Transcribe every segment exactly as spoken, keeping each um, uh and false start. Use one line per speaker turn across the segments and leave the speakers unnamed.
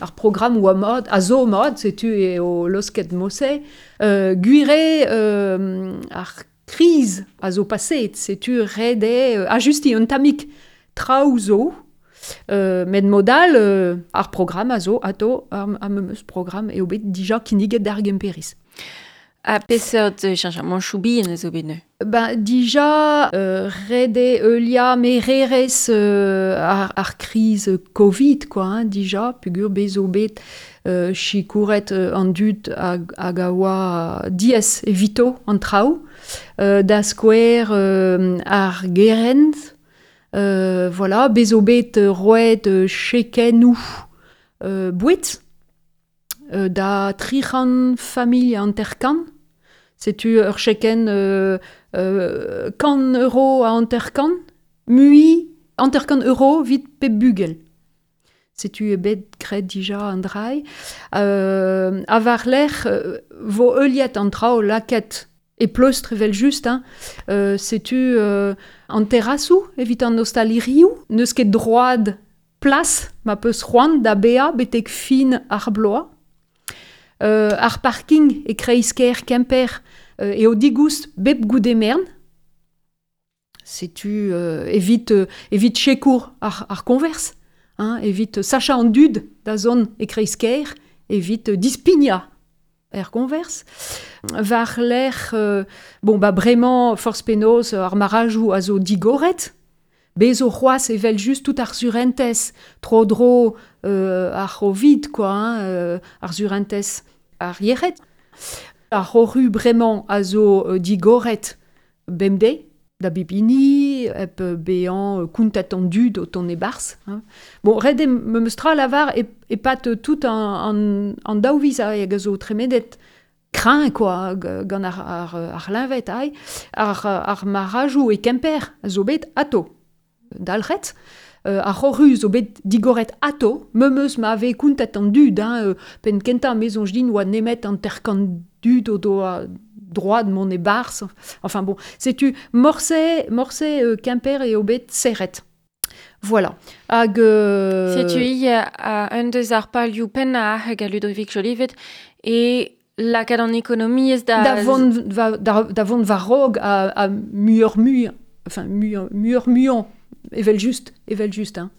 Ar programm oa mat, a zo mat, setu eo losket mose. Euh, gwir eo euh, ar kriz a zo paseet, setu ret eo euh, ajustiñ un tammig traoù zo. Euh, met mod all, euh, ar programm a zo atao ar, ar memes programm eo bet dija kinniget d'ar Gemperiz.
Ha peseurt cheñchamantoù bihan a zo bet neuze?
Ben, dija, euh, ret eo heuliañ mererezh euh, ar, ar kriz Covid, quoi, hein, dija, peogwir bez zo bet euh, sikouret euh, an dud hag, hag a oa diaes evito an traoù. Euh, da skouer euh, ar gerent, euh, voilà, bez zo bet roet euh, chekennoù euh, boued euh, da tri c'hant familh hanter-kant. Setu ur chekenn euh, euh, kant euro a hanter-kant, mui hanter-kant euro evit pep bugel. Setu eo bet graet dija an dra-se. Euh, ha war-lerc'h euh, vo heuliet an traoù lakaet e pleustr evel-just, hein. Euh, setu euh, an terrasoù evit an ostalirioù, n'eus ket droad plas ma peus c'hoant da baeañ betek fin ar bloaz. Euh, ar parking e kreiz-kêr Kemper euh, eo digoust bep goude merenn. Setu euh, evit, euh, evit sikour ar, ar koñvers, hein, evit sachañ an dud da zont e kreiz-kêr, evit dispignañ er koñvers. War-lerc'h, euh, bon, ba bremañ forzh penaos ar marajoù a zo digoret, bez zo c'hoazh evel-just tout ar surentez tro-dro euh, ar C'hovid, quoi, hein, euh, ar surentez ar yec'hed. Ar c'hoc'hu bremañ a zo euh, digoret bemdez, da bep hini, hep bezañ kontet an dud o tont e-barzh. Hein. Bon, ret eo memes tra lavar e, e-pad tout an, an, an daou viz hag a zo tremenet kreñv quoi, gant ar, ar, ar c'hleñved aï, ar, ar marajoù e Kemper a zo bet atao dalc'het. Euh, ar c'hoc'hu zo bet digoret atao, memes ma vez kontet an dud, hein, euh, penn kentañ me soñj din oa nemet hanter-kant dud o doa droad mont e-barzh. Enfin bon, setu morse, morse euh, Kemper eo bet serret. Voilà. Hag euh...
Setu i a un deus ar palioù pennañ hag a Ludovic Jolivet e lakaat an ekonomiezh da...
Da vont, va, da, da vont war-raok a, a muioc'h-mui, enfin muioc'h-muiañ, evel-just, evel-just, hein.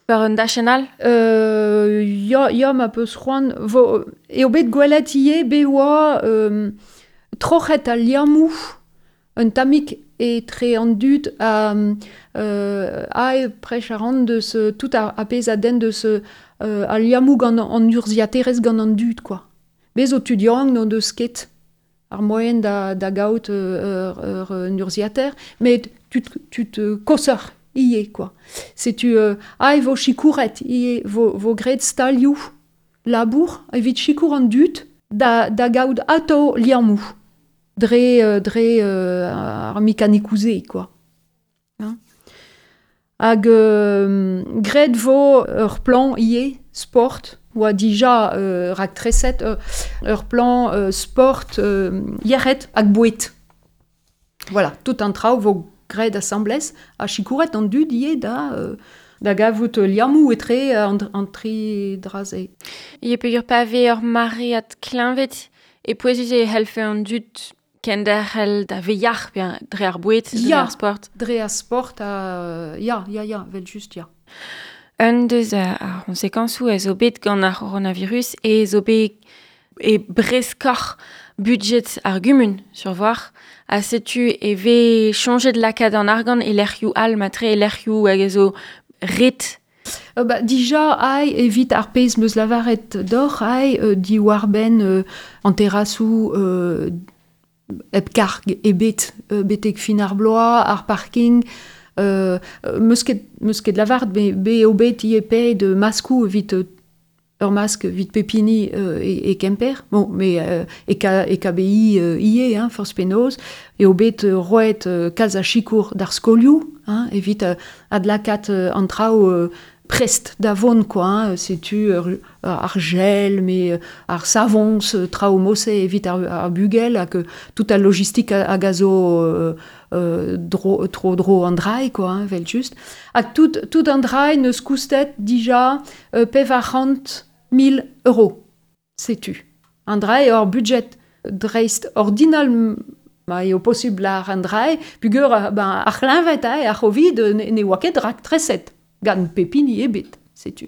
War un dachenn all?
Euh, ya, ya, ma peus c'hoant. Vo, eo bet gwelet ivez bet oa euh, troc'het al liammoù un tammig etre an dud ha euh, ae prech a ran deus tout ar, ar pezh a denn deus euh, al liammoù gant an urzhiaterezh gant an dud, quoi. Bez zo tud yaouank n'o deus ket ar moaien da, da gaout ur, ur, un urzhiater, met tud, tud koshoc'h ivez, quoi. Setu euh, ae vo sikouret ivez, vo, vo graet stalioù labour evit sikour an dud da, da gaout atao liammoù dre, dre euh, ar mekanikoù-se, quoi. Hein. Hag euh, graet vo ur plan ivez, sport, oa dija euh, raktreset ur, ur plan euh, sport euh, yec'hed hag boued. Voilà, tout an traoù vo graet asambles ha sikouret an dud ivez da, euh, da gavout liammoù etre an, an tri dra-se.
E peogwir pa vez ur maread kleñved e pouezus e c'hellfe an dud kenderc'hel da vezañ yac'h pe dre ar boued, dre
Ya,
ar sport.
Dre ar sport, ha, ya, ya, ya, evel-just, ya.
Un deus ar c'hoñsekañsoù a zo bet gant ar c'horonavirus e zo bet e breskoc'h budget ar gumun, sur voir. Ha setu e vez soñjet lakaat an argant e lec'hioù all matre e lec'hioù hag a zo ret.
Euh, ba, dija aï evit ar pezh meus lavaret deoc'h aï euh, diwar-benn euh, an terrasoù euh, hep karg ebet euh, betek fin ar bloaz, ar parking, euh, meus ket, meus ket lavaret be, be eo bet ivez paeet maskoù evit euh, ur mask evit pep hini euh, e, e Kemper, bon, mais euh, e, K, e K B I euh, ivez, hein, forzh penaos, eo bet euh, roet euh, kalz a sikour d'ar skolioù, hein, evit euh, adlakaat euh, an traoù euh, prest da vont quoi, hein, setu ur, ar gel, me ar savons, traoù mose evit ar, ar bugel, hag tout al logistik hag a zo euh, euh, dro, tro dro an drai, quoi, hein, vel just. Hag tout, tout an drai neus koustet dija euh, pevar c'hant mil euro. Setu. An drai ur budget dreist ordinal ma eo posubl ar an drai, pugur ben, ar c'hleñved, hein, ar c'hovid ne, ne oa ket raktreset gant pepini ebet, setu.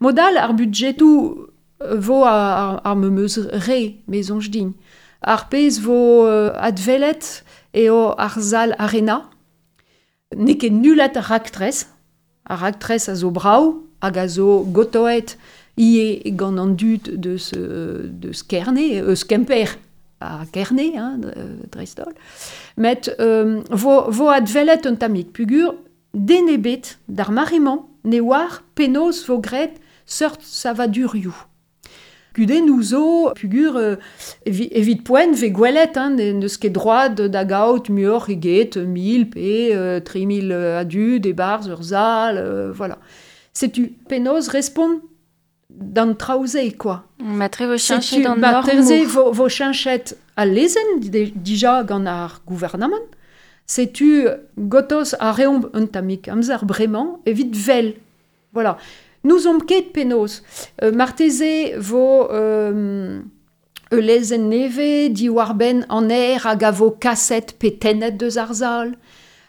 Modal ar budgetou vo ar, ar memeus re, me soñj din. Ar pezh vo euh, advelet eo ar zal arena, n'eo ket nullet ar raktres, ar raktres a zo brav hag a zo gotoet ie gant an dud deus, deus Kerne, eus Kemper a Kerne, hein, dreist-holl. Met euh, vo, vo advelet un tammig pugur, den ebet d'ar mare-mañ ne oar penaos vo graet seurt savadurioù. Kudennoù zo pugur euh, evi, evit poent ve gwelet, hein, ne, n'eus ket droad da gaout muioc'h eget mil pe euh, tri mil a dud e-barzh ur zal, euh, voilà. Setu penaos respont d'an traoù-se, quoi.
Matre vo cheñchet an
Marteze vo, vo cheñchet al lezenn dija gant ar gouarnamant. Setu gotos a reomp un tammig amzer bremañ evit vel. Voilà. Nous omp ket penaos. Euh, marteze vo euh, ul lezenn nevez diwar-benn an aer hag a vo kaset pe tennet deus ar zal.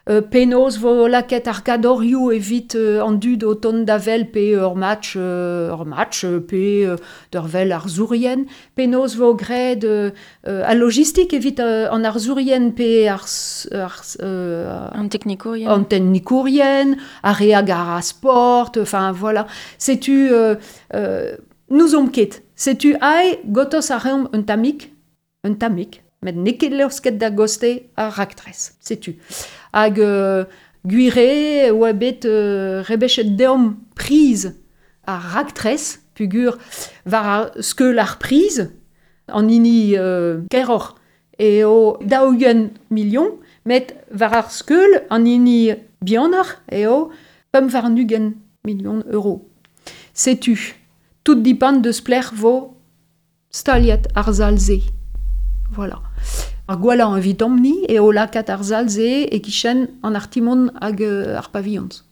Euh, penaos vo lakaet ar gadorioù evit euh, an dud o tont da vel pe ur match, euh, ur match pe euh, d'ur vel ar zourien. Penaos vo graet euh, euh, al logistik evit euh, an ar zourien pe ar, ar, euh,
an teknikourien.
An teknikourien, ar re hag ar a sport, enfin voilà. Setu euh, euh, nous omp ket. Setu ae gotos a reomp un tammig, un tammig, met n'eo ket laosket da goste ar raktres. Setu. Hag euh, gwire oa bet euh, rebechet deomp priz ar raktres, pugur war ar skeul ar priz, an hini euh, keroc'h eo daou-ugent million, met war ar skeul an hini bihanoc'h eo pemp warn-ugent million euro. Setu, tout dipant deus plec'h vo staliet ar zal-se. Voilà. Ar gwellañ evidomp-ni eo lakaat ar zal-se e-kichen an artimon hag ar pavillons.